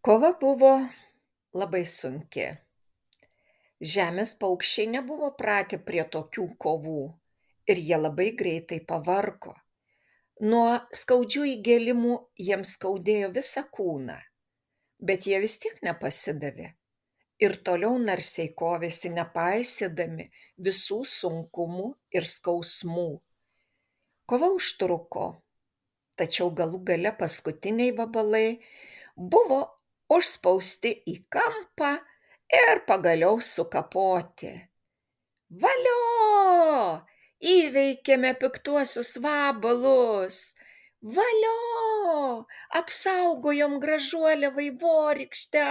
Kova buvo labai sunki. Žemės paukščiai nebuvo pratę prie tokių kovų ir jie labai greitai pavargo. Nuo skaudžių įgėlimų jiems skaudėjo visą kūną, bet jie vis tiek nepasidavė ir toliau narsiai kovėsi, nepaisydami visų sunkumų ir skausmų. Kova užtruko, tačiau galų gale paskutiniai vabalai buvo užspausti į kampą ir pagaliau sukapoti. Valio! Įveikėme piktuosius vabalus! Valio! Apsaugojom gražuolę vaivorykštę!